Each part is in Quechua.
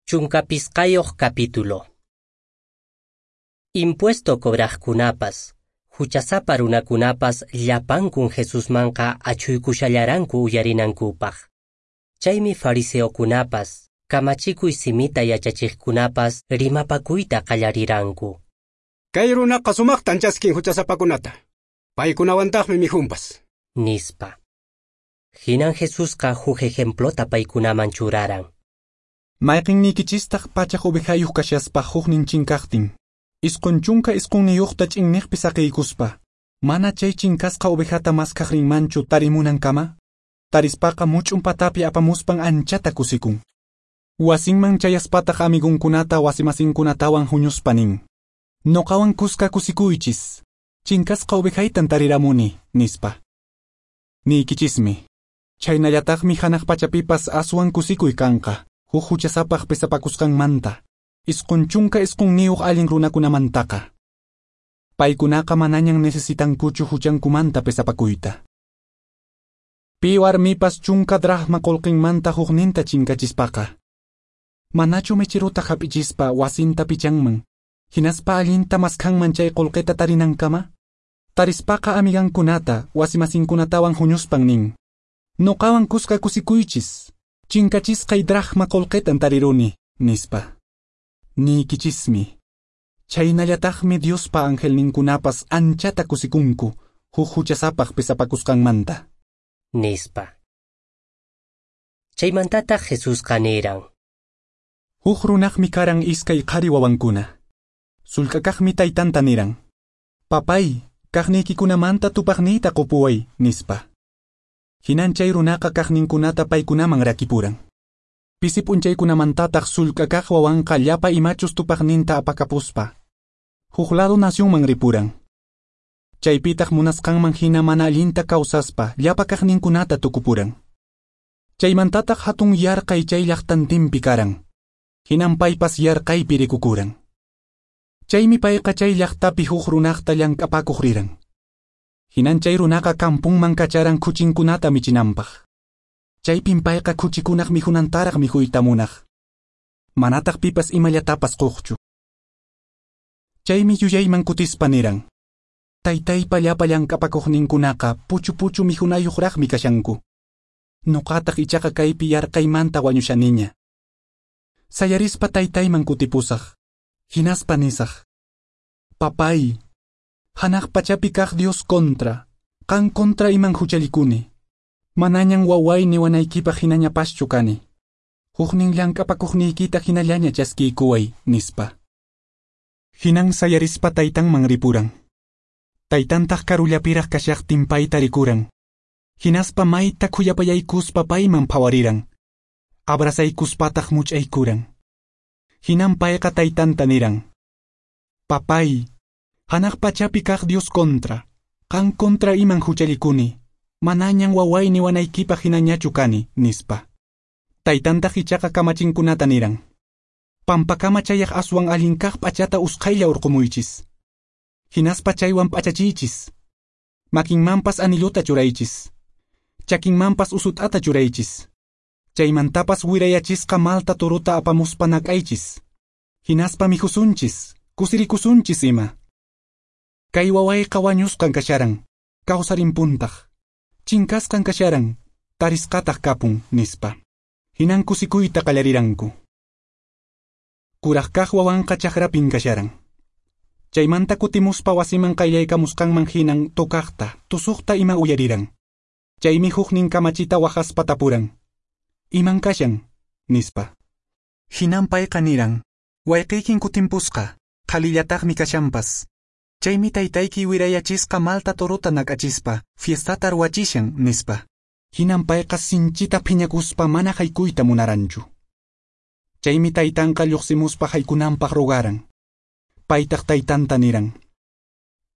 15 capítulo. Impuesto cobraqkunapas, huchasapa runakunapas llapankun Jesusmanqa achhuykushallaranku uyarinankupaq. Chaymi fariseokunapas, kamachikuy simita yachachiqkunapas rimapakuyta qallariranku. Kay runaqa sumaqtan chaskin huchasapakunata. Paykunawantaqmi mikhunpas. Nispa. Hinan Jesusqa huk ejemplota paykunaman churaran. Mayqinnikichistaq pachak ovejayuq kashaspa huknin chinkaqtin, 99 ch'inniqpi saqiykuspa, mana chay chinkasqa ovejata maskaq rinmanchu tarimunankama, tarispaqa much'un patapi apamuspan anchata kusikun. Wasinman chayaspataq amigunkunata wasimasinkunatawan huñuspa nin: Noqawan kuska kusikuychis, chinkasqa ovejaytan tariramuni, nispa. Niykichismi, chhaynallataqmi hanaq pachapipas aswan kusikuy kanqa, huk huchasapaq pesapakusqanmanta, 99 allin runakunamantaqa. Paykunaqa manañan necesitankuchu huchankumanta pesapakuyta. Pi warmipas 10 dracma qullqinmanta hukninta chinkachispaqa, manachu mecherota hap'ichispa wasinta pichanman, hinaspa allinta maskhanman chay qullqita tarinankama? Tarispaqa amigankunata wasimasinkunatawan huñuspan nin: Noqawan kuska kusikuychis, chinkachisqay dracma qullqitan tariruni, nispa. Niykichismi, chhaynallataqmi Diospa angelninkunapas anchata kusikunku huk huchasapaq pesapakusqanmanta. Nispa. Chaymantataq Jesusqa niran: Huk runaqmi karan iskay qhari wawankuna. Sullk'akaqmi taytanta niran: Papay, kaqniykikunamanta tupaqniyta qupuway, nispa. Hinan chay runaqa kaqninkunata paykunaman rakipuran. Pisi p'unchaykunamantataq sullk'akaq wawanqa llapa imachus tupaqninta apakapuspa, huk lado nacionman ripuran. Chaypitaq munasqanman hina mana allinta kawsaspa llapa kaqninkunata tukupuran. Chaymantataq hatun yarqay chay llaqtantinpi karan. Hinan paypas yarqaypi rikukuran. Chaymi payqa chay llaqtapi huk runaqta llank'apakuq riran. Hinan chay runaqa kampunman kacharan khuchinkunata michinanpaq. Chaypin payqa khuchikunaq mikhunantaraq mikhuyta munaq. Manataq pipas imallatapas quqchu. Chaymi yuyayman kutispa niran: Taytaypa llapa llank'apakuqninkunaqa puchu puchu mikhunayuqraqmi kashanku. Nuqataq ichaqa kaypi yarqaymanta wañushaniña. Sayarispa taytayman kutipusaq. Hinaspa nisaq: Papay, hanaq pachapi kaq Dios contra, qan contra iman huchallikuni. Manañan waway niwanaykipaq hinañapaschu kani. Huknin llank'apakuqniykita hinallaña chaskiykuway, nispa. Hinan sayarispa taytanman ripuran. Taytantaq karullapiraq kashaqtin payta rikuran. Hinaspa mayta khuyapayaykuspa payman phawariran. Abrazaykuspataq much'aykuran. Hinan payqa taytanta niran: Papay, hanaq pachapi kaq Dios contra, qan contra iman huchallikuni, manañan waway niwanaykipaq hinañachu kani, nispa. Taytantaq ichaqa kamachinkunata niran: Pampakama chayaq aswan allin kaq p'achata usqhaylla urqumuychis. Hinaspa chaywan p'achachiychis. Makinmanpas anillota churaychis. Chakinmanpas usut'ata churaychis. Chaymantapas wirayachisqa malta torota apamuspa nak'aychis. Hinaspa mikhusunchis, kusirikusunchis ima. Kay wawayqa wañusqan kasharan, kawsarinpuntaq. Chinkasqan kasharan, tarisqataq kapun, nispa. Hinan kusikuyta qallariranku. Kuraq kaq wawanqa chakrapin kasharan. Chaymanta kutimuspa wasiman qayllaykamusqanman hinan tocaqta, tusuqta ima uyariran. Chaymi huknin kamachita waqaspa tapuran: Iman kashan, nispa. Hinan payqa niran: Wayqiykin kutimpusqa, qhalillataqmi kashanpas. Chaymi taytayki wirayachisqa malta torota nak'achispa, fiestata ruwachishan, nispa. Hinan payqa sinchita phiñakuspa mana haykuyta munaranchu. Chaymi taytanqa lluqsimuspa haykunanpaq rogaran. Paytaq taytanta niran: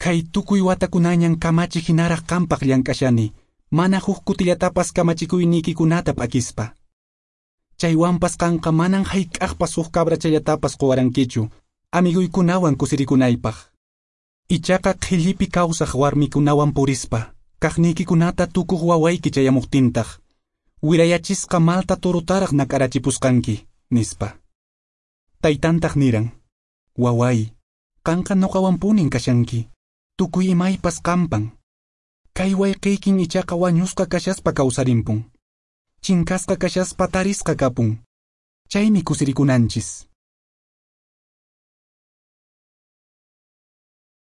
Kay tukuy watakunañan kamachi hinaraq qampaq llank'ashani, mana huk kutillatapas kamachikuyniykikunata p'akispa. Chaywanpas qanqa manan hayk'aqpas huk cabrachallatapas quwarankichu, amiguykunawan kusirikunaypaq. Ichaqa qhillipi kawsaq warmikunawan purispa, kaqniykikunata tukuq wawayki chayamuqtintaq, wirayachisqa malta torotaraq nak'arachipusqanki, nispa. Taytantaq niran: Waway, qanqa noqawanpunin kashanki, tukuy imaypas qampan. Kay wayqiykin ichaqa wañusqa kashaspa kawsarimpun. Chinkasqa kashaspa tarisqa kapun. Chaymi kusirikunanchis.